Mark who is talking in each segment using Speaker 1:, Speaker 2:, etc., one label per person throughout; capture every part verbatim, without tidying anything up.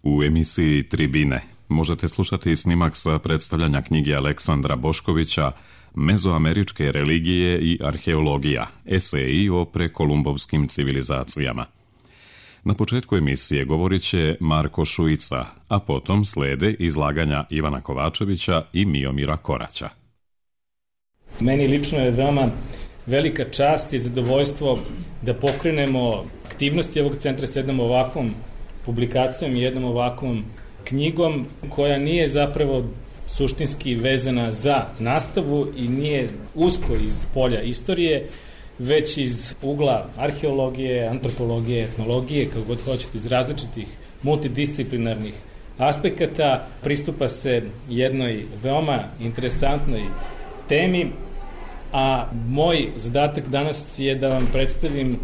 Speaker 1: U emisiji Tribine možete slušati snimak sa predstavljanja knjige Aleksandra Boškovića Mezoameričke religije i arheologija, eseji o prekolumbovskim civilizacijama. Na početku emisije govorit će Marko Šuica, a potom slede izlaganja Ivana Kovačevića i Miomira Koraća.
Speaker 2: Meni lično je veoma velika čast i zadovoljstvo da pokrenemo aktivnosti ovog centra s jednom ovakvom publikacijom i jednom ovakvom knjigom koja nije zapravo suštinski vezana za nastavu i nije usko iz polja istorije, već iz ugla arheologije, antropologije, etnologije, kako god hoćete, iz različitih multidisciplinarnih aspekata. Pristupa se jednoj veoma interesantnoj temi, a moj zadatak danas je da vam predstavim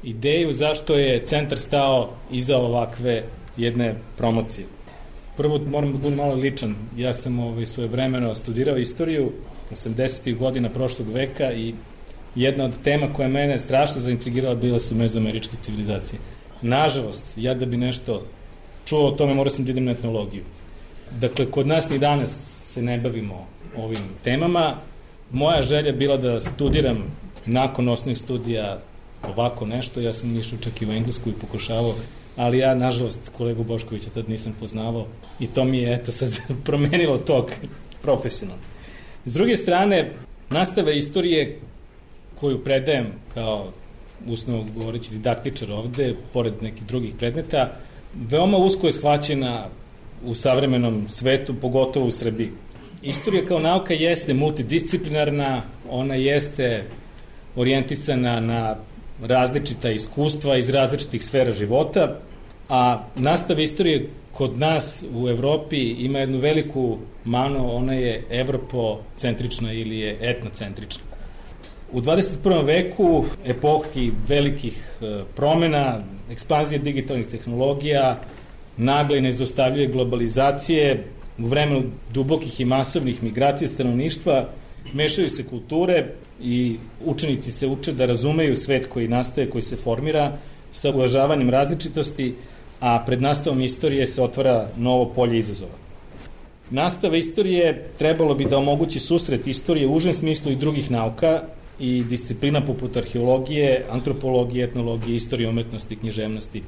Speaker 2: ideju zašto je centar stao iza ovakve jedne promocije. Prvo moram da budem malo ličan. Ja sam ovaj, svojevremeno studirao istoriju osamdesetih godina prošlog veka i jedna od tema koja mene strašno zaintrigirala bila su mezoameričke civilizacije. Nažalost, ja da bi nešto čuo o tome morao sam da idem na etnologiju. Dakle, kod nas ni danas se ne bavimo ovim temama. Moja želja bila da studiram nakon osnovnih studija ovako nešto. Ja sam išao čak i u Englesku i pokušavao, ali ja, nažalost, kolegu Boškovića tad nisam poznavao i to mi je, eto, sad promenilo tog profesionalno. S druge strane, nastava istorije koju predajem kao uslovno govoreći didaktičar ovde, pored nekih drugih predmeta, veoma usko je shvaćena u savremenom svetu, pogotovo u Srbiji. Istorija kao nauka jeste multidisciplinarna, ona jeste orijentisana na različita iskustva iz različitih sfera života, a nastava istorije kod nas u Evropi ima jednu veliku manu, ona je evropocentrična ili je etnocentrična. U dvadeset prvom veku, epohi velikih promena, ekspanzije digitalnih tehnologija, nagle i nezaustavljive globalizacije, u vremenu dubokih i masovnih migracija stanovništva, mešaju se kulture i učenici se uče da razumeju svet koji nastaje, koji se formira sa uvažavanjem različitosti, a pred nastavom istorije se otvara novo polje izazova. Nastava istorije trebalo bi da omogući susret istorije u užem smislu i drugih nauka i disciplina poput arheologije, antropologije, etnologije, istorije umetnosti, književnosti.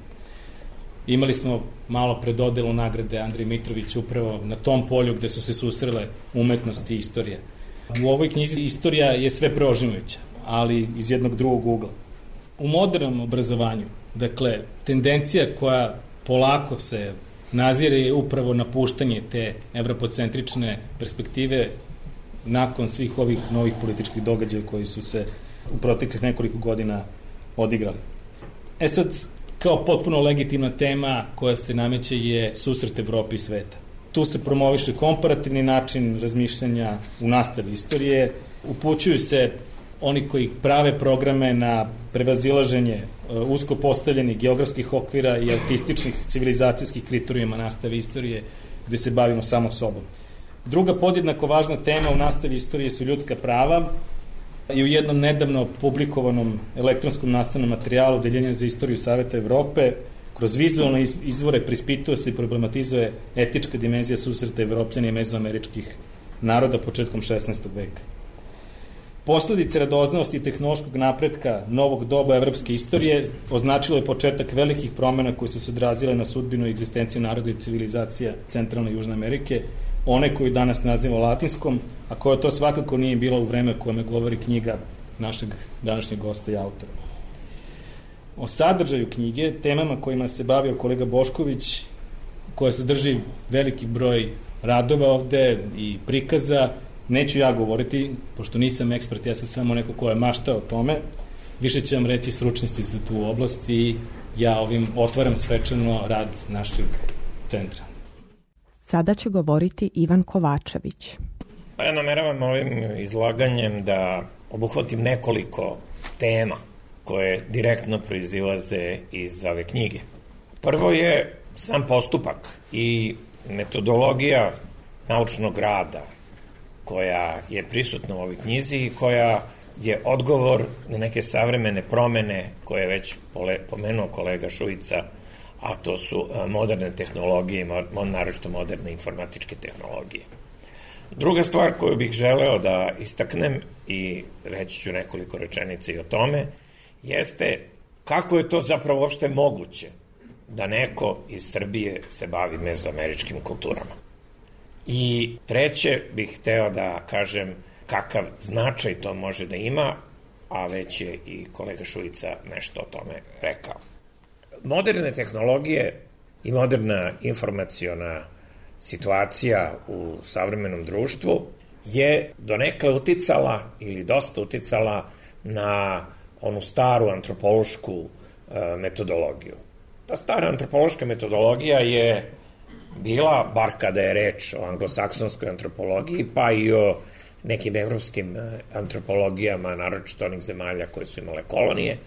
Speaker 2: Imali smo malo pred dodelu nagrade Andriji Mitrović upravo na tom polju gde su se susrele umetnost i istorija. U ovoj knjizi istorija je sve preožimujuća, ali iz jednog drugog ugla. U modernom obrazovanju, dakle, tendencija koja polako se nazire je upravo napuštanje te evropocentrične perspektive nakon svih ovih novih političkih događaja koji su se u proteklih nekoliko godina odigrali. E sad, kao potpuno legitimna tema koja se nameće je susret Evrope i sveta. Tu se promoviše komparativni način razmišljanja u nastavi istorije, upućuju se oni koji prave programe na prevazilaženje usko postavljenih geografskih okvira i autističnih civilizacijskih kriterijuma nastave istorije, gde se bavimo samo sobom. Druga podjednako važna tema u nastavi istorije su ljudska prava i u jednom nedavno publikovanom elektronskom nastavnom materijalu Odeljenja za istoriju Saveta Evrope kroz vizualne izvore prispituje se i problematizuje etička dimenzija susreta Evropljana i mezoameričkih naroda početkom šesnaestog veka. Posledice radoznalosti i tehnološkog napretka novog doba evropske istorije označilo je početak velikih promena koje su se odrazile na sudbinu i egzistenciju naroda i civilizacija Centralne i Južne Amerike, one koju danas nazivamo latinskom, a koja to svakako nije bila u vreme kojome govori knjiga našeg današnjeg gosta i autora. O sadržaju knjige, temama kojima se bavio kolega Bošković, koja sadrži veliki broj radova ovde i prikaza, neću ja govoriti, pošto nisam ekspert, ja sam samo neko ko je maštao o tome, više će vam reći stručnici za tu oblast i ja ovim otvaram svečano rad našeg centra.
Speaker 3: Sada će govoriti Ivan Kovačević.
Speaker 4: Pa ja nameravam ovim izlaganjem da obuhvatim nekoliko tema koje direktno proizilaze iz ove knjige. Prvo je sam postupak i metodologija naučnog rada koja je prisutna u ovoj knjizi i koja je odgovor na neke savremene promene koje je već pomenuo kolega Šuica, a to su moderne tehnologije, naročito moderne informatičke tehnologije. Druga stvar koju bih želeo da istaknem, i reći ću nekoliko rečenica i o tome, jeste kako je to zapravo uopšte moguće da neko iz Srbije se bavi mezoameričkim kulturama. I treće bih hteo da kažem kakav značaj to može da ima, a već je i kolega Šujica nešto o tome rekao. Moderne tehnologije i moderna informaciona situacija u savremenom društvu je donekle uticala ili dosta uticala na onu staru antropološku e, metodologiju. Ta stara antropološka metodologija je bila, bar kada je reč o anglosaksonskoj antropologiji, pa i o nekim evropskim antropologijama, naročito onih zemalja koje su imale kolonije,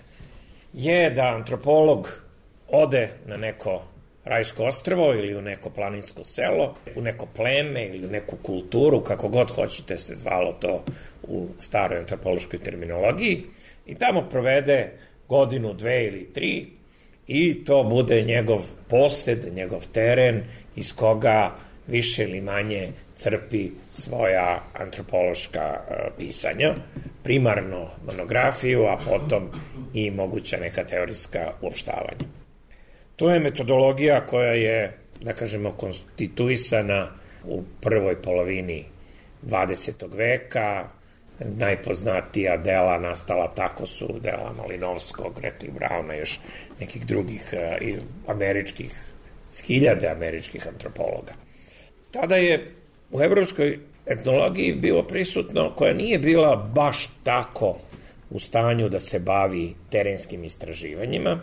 Speaker 4: je da antropolog ode na neko rajsko ostrvo ili u neko planinsko selo, u neko pleme ili u neku kulturu, kako god hoćete se zvalo to u staroj antropološkoj terminologiji, i tamo provede godinu, dve ili tri, i to bude njegov posed, njegov teren iz koga više ili manje crpi svoja antropološka pisanja, primarno monografiju, a potom i moguća neka teorijska uopštavanja. To je metodologija koja je, da kažemo, konstituisana u prvoj polovini dvadesetog veka. Najpoznatija dela nastala tako su dela Malinovskog, Greta Brauna, još nekih drugih i američkih, hiljade američkih antropologa. Tada je u evropskoj etnologiji bilo prisutno, koja nije bila baš tako u stanju da se bavi terenskim istraživanjima,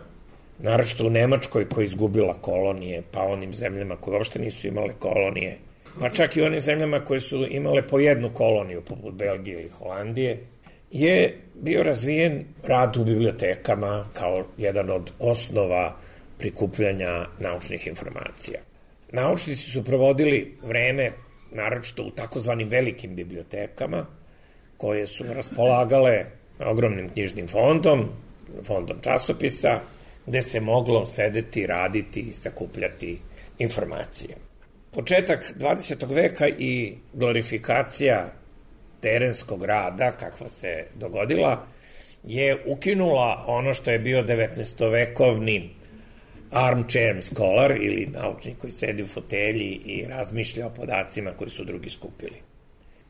Speaker 4: naročito u Nemačkoj koja je izgubila kolonije, pa onim zemljama koje uopšte nisu imale kolonije, pa čak i onim zemljama koje su imale po jednu koloniju, poput Belgije ili Holandije, je bio razvijen rad u bibliotekama kao jedan od osnova prikupljanja naučnih informacija. Naučnici su provodili vreme, naročito u takozvanim velikim bibliotekama, koje su raspolagale ogromnim knjižnim fondom, fondom časopisa, gde se moglo sedeti, raditi i sakupljati informacije. Početak dvadesetog veka i glorifikacija terenskog rada, kakva se dogodila, je ukinula ono što je bio devetnaestovekovni armchair scholar, ili naučnik koji sedi u fotelji i razmišlja o podacima koji su drugi skupili.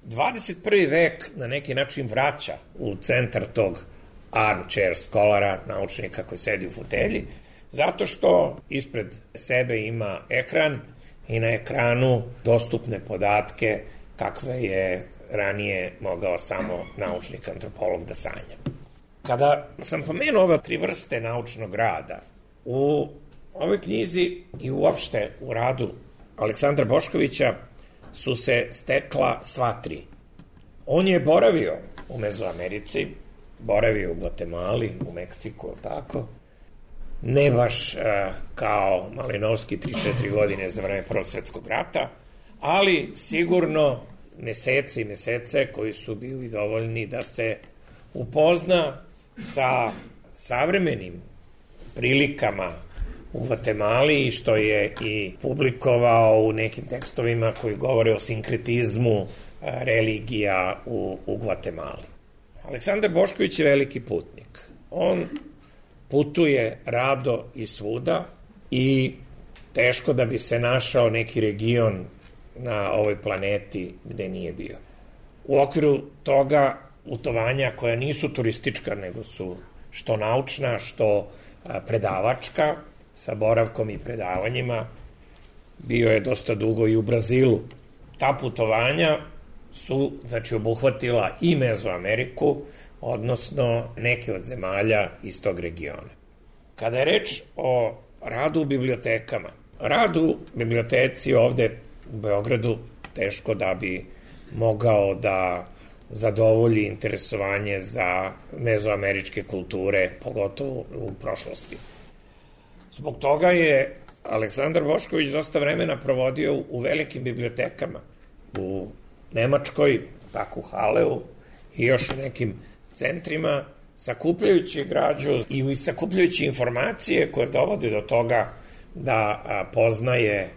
Speaker 4: dvadeset prvi vek na neki način vraća u centar tog armchair scholara, naučnika koji sedi u fotelji, zato što ispred sebe ima ekran i na ekranu dostupne podatke kakve je ranije mogao samo naučnik antropolog da sanja. Kada sam pomenuo ove tri vrste naučnog rada, u ovoj knjizi i uopšte u radu Aleksandra Boškovića su se stekla sva tri. On je boravio u Mezoamerici, boravio u Gvatemali, u Meksiku, tako, ne baš uh, kao Malinovski tri četiri godine za vreme Prvog svetskog rata, ali sigurno mesece i mesece koji su bili dovoljni da se upozna sa savremenim prilikama u Gvatemali, što je i publikovao u nekim tekstovima koji govore o sinkretizmu religija u, u Gvatemali. Aleksandar Bošković je veliki putnik. On putuje rado i svuda i teško da bi se našao neki region na ovoj planeti gde nije bio. U okviru toga putovanja koja nisu turistička, nego su što naučna, što predavačka, sa boravkom i predavanjima, bio je dosta dugo i u Brazilu. Ta putovanja su, znači, obuhvatila i Mezoameriku, odnosno neke od zemalja iz tog regiona. Kada je reč o radu u bibliotekama, rad u biblioteci ovde u Beogradu teško da bi mogao da zadovolji interesovanje za mezoameričke kulture, pogotovo u prošlosti. Zbog toga je Aleksandar Bošković dosta vremena provodio u velikim bibliotekama, u Nemačkoj, tako u Haleu i još u nekim centrima, sakupljajući građu i sakupljajući informacije koje dovode do toga da a, poznaje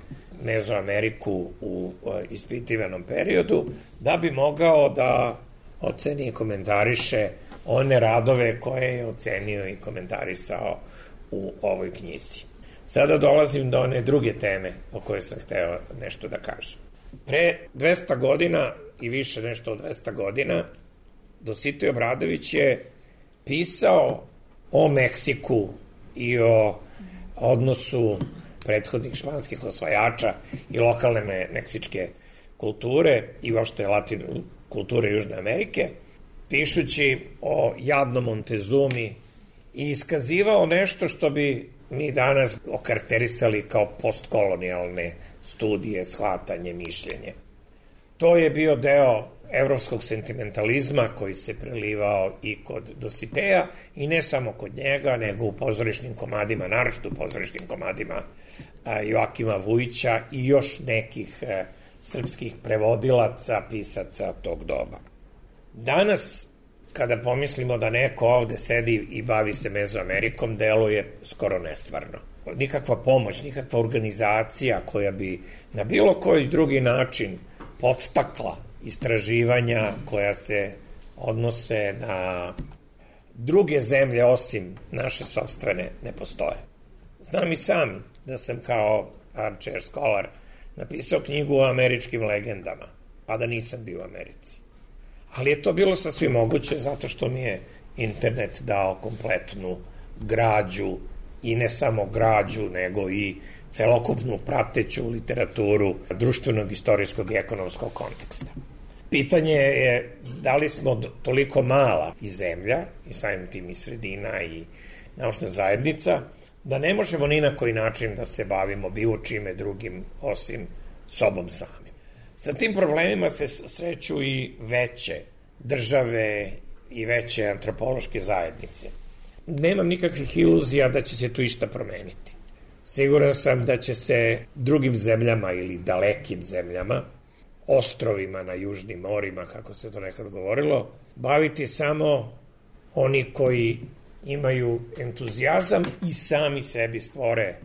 Speaker 4: Mezoameriku u a, ispitivanom periodu, da bi mogao da oceni i komentariše one radove koje je ocenio i komentarisao u ovoj knjizi. Sada dolazim do one druge teme o kojoj sam hteo nešto da kažem. Pre dvesta godina i više nešto od dvesta godina Dositej Obradović je pisao o Meksiku i o odnosu prethodnih španskih osvajača i lokalne me, meksičke kulture i uopšte latin, kulture Južne Amerike, pišući o jadnom Montezumi i iskazivao nešto što bi mi danas okarakterisali kao postkolonijalne studije, shvatanje, mišljenje. To je bio deo evropskog sentimentalizma koji se prelivao i kod Dositeja i ne samo kod njega, nego u pozorišnim komadima, naročito u pozorišnim komadima Joakima Vujića i još nekih srpskih prevodilaca, pisaca tog doba. Danas, kada pomislimo da neko ovde sedi i bavi se Mezoamerikom, deluje skoro nestvarno. Nikakva pomoć, nikakva organizacija koja bi na bilo koji drugi način podstakla istraživanja koja se odnose na druge zemlje osim naše sopstvene ne postoje. Znam i sam da sam kao armchair scholar napisao knjigu o američkim legendama, a da nisam bio u Americi. Ali je to bilo sasvim moguće zato što mi je internet dao kompletnu građu i ne samo građu, nego i celokupnu prateću literaturu društvenog, istorijskog i ekonomskog konteksta. Pitanje je da li smo toliko mala i zemlja, i samim tim i sredina i naučna zajednica, da ne možemo ni na koji način da se bavimo bilo čime drugim osim sobom samim. Sa tim problemima se sreću i veće države i veće antropološke zajednice. Nemam nikakvih iluzija da će se tu išta promeniti. Siguran sam da će se drugim zemljama ili dalekim zemljama, ostrovima na južnim morima, kako se to nekad govorilo, baviti samo oni koji imaju entuzijazam i sami sebi stvore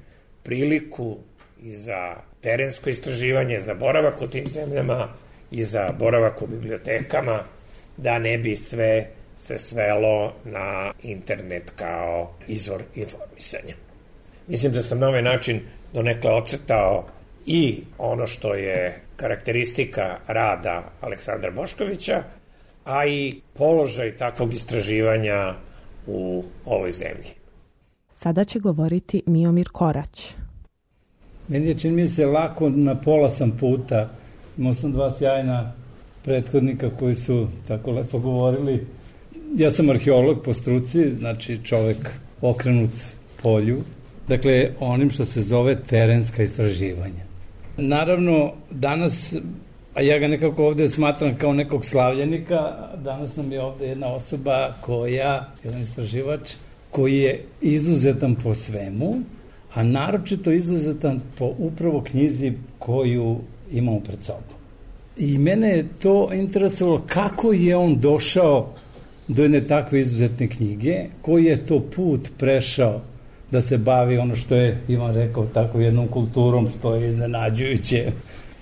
Speaker 4: priliku i za terensko istraživanje, za boravak u tim zemljama i za boravak u bibliotekama, da ne bi sve se svelo na internet kao izvor informisanja. Mislim da sam na ovaj način donekle ocrtao i ono što je karakteristika rada Aleksandra Boškovića, a i položaj takvog istraživanja u ovoj zemlji.
Speaker 3: Sada će govoriti Miomir Korać.
Speaker 5: Meni je, čini mi se, lako, na pola sam puta. Imao sam dva sjajna prethodnika koji su tako lepo govorili. Ja sam arheolog po struci, znači čovek okrenut polju, dakle onim što se zove terenska istraživanja. Naravno, danas, a ja ga nekako ovde smatram kao nekog slavljenika, danas nam je ovde jedna osoba koja, jedan istraživač, koji je izuzetan po svemu, a naročito izuzetan po upravo knjizi koju imamo pred sobom. I mene je to interesovalo kako je on došao do jedne takve izuzetne knjige, koji je to put prešao da se bavi ono što je Ivan rekao, tako jednom kulturom, što je iznenađujuće.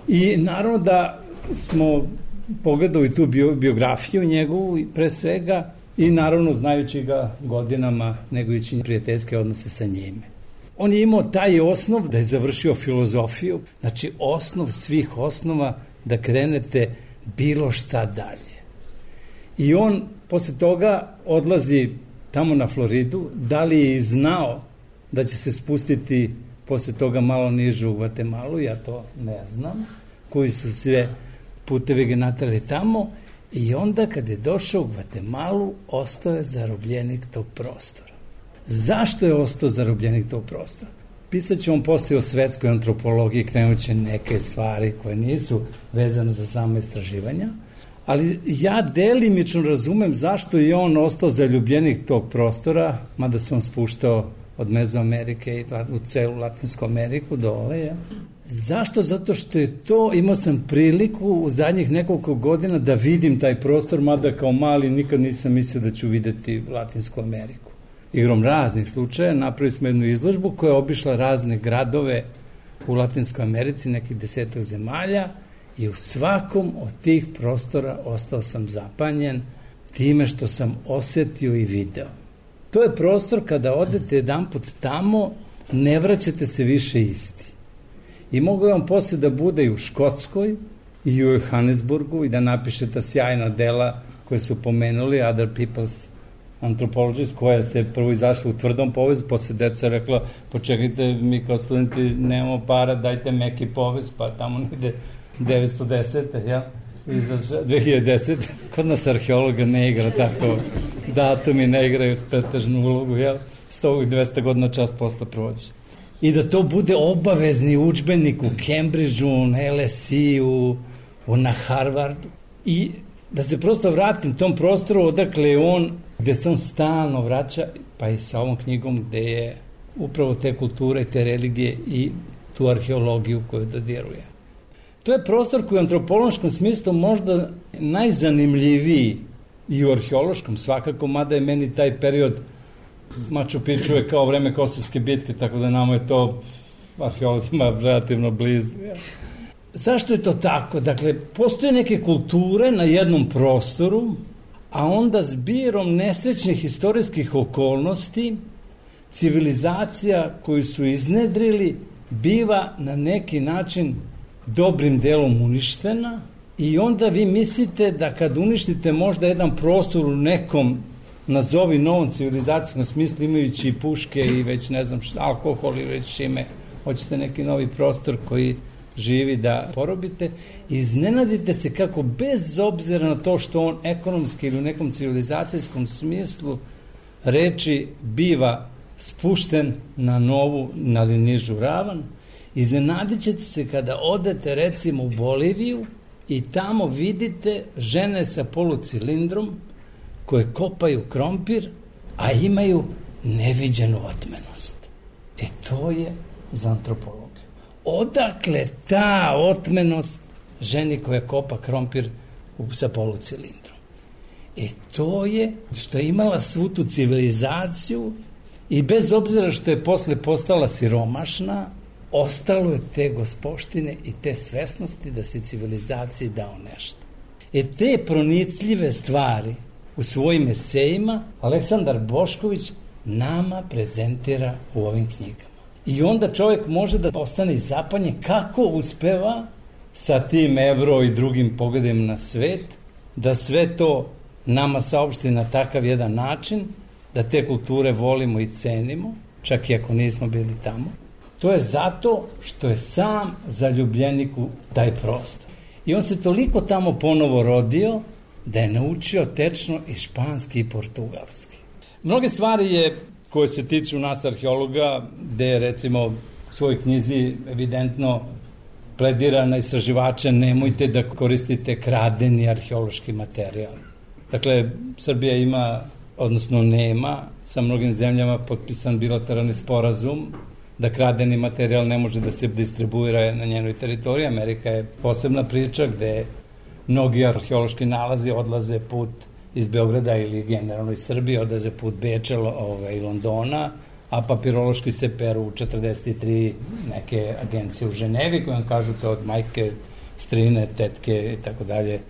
Speaker 5: I naravno da smo pogledali tu bio, biografiju njegovu pre svega i naravno znajući ga godinama, negujući prijateljske odnose sa njime. On je imao taj osnov da je završio filozofiju, znači osnov svih osnova da krenete bilo šta dalje. I on posle toga odlazi tamo na Floridu, da li je i znao da će se spustiti posle toga malo niže u Gvatemalu, ja to ne znam, koji su sve putevi ga natrali tamo, i onda kad je došao u Gvatemalu, ostao je zarobljenik tog prostora. Zašto je ostao zarobljenik tog prostora? Pisat će on posle o svetskoj antropologiji, krenuće neke stvari koje nisu vezane za samo istraživanja, ali ja delimično razumem zašto je on ostao zaljubljenik tog prostora, mada se on spuštao od Mezoamerike i u celu Latinsku Ameriku dole. Ja. Zašto? Zato što je to, imao sam priliku u zadnjih nekoliko godina da vidim taj prostor, mada kao mali nikad nisam mislio da ću videti Latinsku Ameriku. igrom raznih slučaja, napravili smo jednu izložbu koja je obišla razne gradove u Latinskoj Americi, nekih desetak zemalja, i u svakom od tih prostora ostao sam zapanjen time što sam osetio i video. To je prostor kada odete jedan put tamo, ne vraćate se više isti. I mogu vam posle da bude i u Škotskoj, i u Johannesburgu, i da napišete sjajna dela koje su pomenuli, Other People's Anthropologist, koja se prvo izašla u tvrdom povezu, posle deca rekla, počekajte, mi kao studenti nemamo para, dajte meki povez, pa tamo negde devetsto desete, ja, izašla, dve hiljade desete. Kod nas arheologa ne igra tako, datumi ne igraju pretežnu ulogu, jel? sto i dvesta godina čas posle prođe. I da to bude obavezni udžbenik u Cambridgeu, na L S I-u, na Harvardu. I da se prosto vratim tom prostoru odakle je on, gde se on stalno vraća, pa i sa ovom knjigom gde je upravo te kulture, te religije i tu arheologiju koju dodiruje. To je prostor koji u antropološkom smislu možda najzanimljiviji i u arheološkom svakako, mada je meni taj period Machu Picchu je kao vreme Kosovske bitke, tako da nama je to arheolozima relativno blizu. Zašto je to tako? Dakle, postoje neke kulture na jednom prostoru, a onda zbirom nesrećnih istorijskih okolnosti civilizacija koju su iznedrili biva na neki način dobrim delom uništena i onda vi mislite da kad uništite možda jedan prostor u nekom nazovi novom civilizacijskom smislu, imajući i puške i već ne znam šta, alkohol i već ime, hoćete neki novi prostor koji živi da porobite, iznenadite se kako bez obzira na to što on ekonomski ili u nekom civilizacijskom smislu reči biva spušten na novu, na nižu ravan, iznenadit ćete se kada odete recimo u Boliviju i tamo vidite žene sa polucilindrom koje kopaju krompir, a imaju neviđenu otmenost. E to je za antropologiju. Odakle ta otmenost ženi koja kopa krompir sa polucilindrom? E to je što je imala svu tu civilizaciju i bez obzira što je posle postala siromašna, ostalo je te gospoštine i te svesnosti da se civilizaciji dao nešto. E te pronicljive stvari u svojim esejima Aleksandar Bošković nama prezentira u ovim knjigama. I onda čovjek može da ostane zapanjen kako uspeva sa tim Evro i drugim pogledima na svet, da sve to nama saopšti na takav jedan način, da te kulture volimo i cenimo, čak i ako nismo bili tamo. To je zato što je sam zaljubljenik u taj prostor. I on se toliko tamo ponovo rodio da je naučio tečno i španski i portugalski. Mnoge stvari je koje se tiču nas arheologa, gde je recimo u svojoj knjizi evidentno pledira na istraživače, nemojte da koristite kradeni arheološki materijal. Dakle, Srbija ima, odnosno nema, sa mnogim zemljama potpisan bilateralni sporazum da kradeni materijal ne može da se distribuira na njenoj teritoriji. Amerika je posebna priča gde mnogi arheološki nalazi odlaze put iz Beograda ili generalno iz Srbije, odlaze put Beča i Londona, a papirološki se peru u četrdeset tri neke agencije u Ženevi koje vam kažu to od majke, strine, tetke i tako dalje.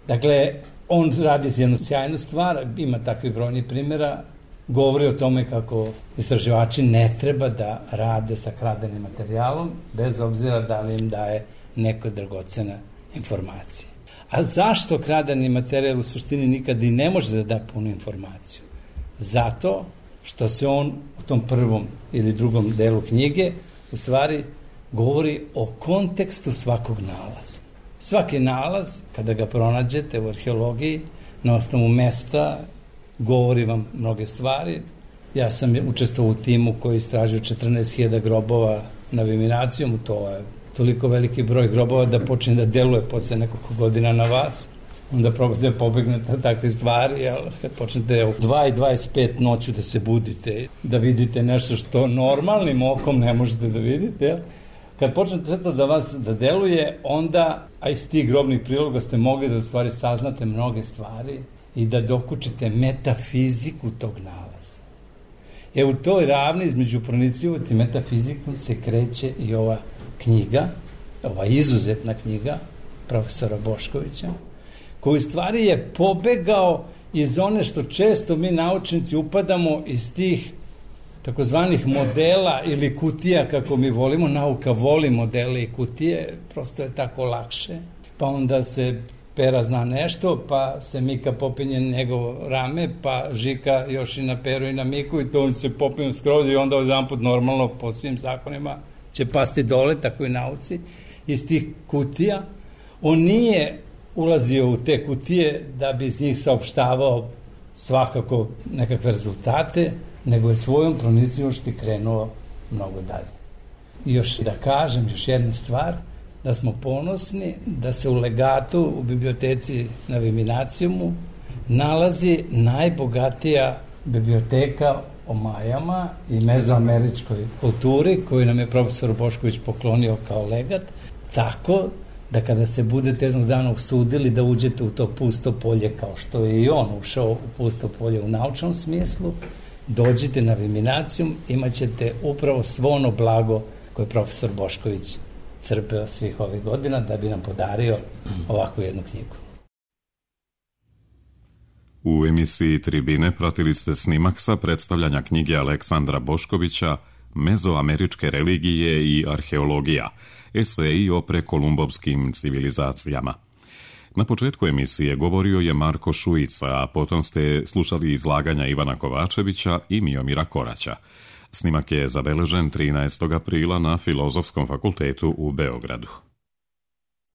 Speaker 5: Dakle, on radi jednu sjajnu stvar, ima takvih brojnih primjera, govori o tome kako istraživači ne treba da rade sa kradenim materijalom, bez obzira da li im daje neka dragocena informacija. A zašto kradeni materijal u suštini nikad i ne može da da punu informaciju? Zato što se on u tom prvom ili drugom delu knjige u stvari govori o kontekstu svakog nalaza. Svaki nalaz, kada ga pronađete u arheologiji, na osnovu mesta, govori vam mnoge stvari. Ja sam učestvovao u timu koji istražio četrnaest hiljada grobova noviminacijom, to je toliko veliki broj grobova da počne da deluje posle nekoliko godina na vas, onda probate da pobegnete od takve stvari, ali kad počnete u dva i dvadeset pet noću da se budite, da vidite nešto što normalnim okom ne možete da vidite, jel? Kad počnete sve to da vas da deluje, onda, a iz tih grobnih priloga ste mogli da u stvari saznate mnoge stvari i da dokučite metafiziku tog nalaza. E u toj ravni između pronicljivosti i metafizikom se kreće i ova knjiga, ova izuzetna knjiga profesora Boškovića, koji stvari je pobegao iz one što često mi naučnici upadamo iz tih takozvanih modela ili kutija, kako mi volimo. Nauka voli modele i kutije, prosto je tako lakše. Pa onda se Pera zna nešto, pa se Mika popinje njegovo rame, pa Žika još i na Peru i na Miku i to on se popinje skroz i onda jedan put normalno po svim zakonima će pasti dole, tako i nauci. Iz tih kutija on nije ulazio u te kutije da bi iz njih saopštavao svakako nekakve rezultate, nego je svojom pronicljivošću krenuo mnogo dalje. I još da kažem još jednu stvar, da smo ponosni da se u legatu u biblioteci na Viminacijumu nalazi najbogatija biblioteka o Majama i mezoameričkoj kulturi koju nam je profesor Bošković poklonio kao legat, tako da kada se budete jednog dana usudili da uđete u to pusto polje kao što je i on ušao u pusto polje u naučnom smislu, dođite na Viminacijum, imat ćete upravo svo ono blago koje je profesor Bošković crpeo svih ovih godina da bi nam podario ovakvu jednu knjigu.
Speaker 1: U emisiji Tribine pratili ste snimak sa predstavljanja knjige Aleksandra Boškovića Mezoameričke religije i arheologija, eseji o prekolumbovskim civilizacijama. Na početku emisije govorio je Marko Šujica, a potom ste slušali izlaganja Ivana Kovačevića i Miomira Koraća. Snimak je zabeležen trinaestog aprila na Filozofskom fakultetu u Beogradu.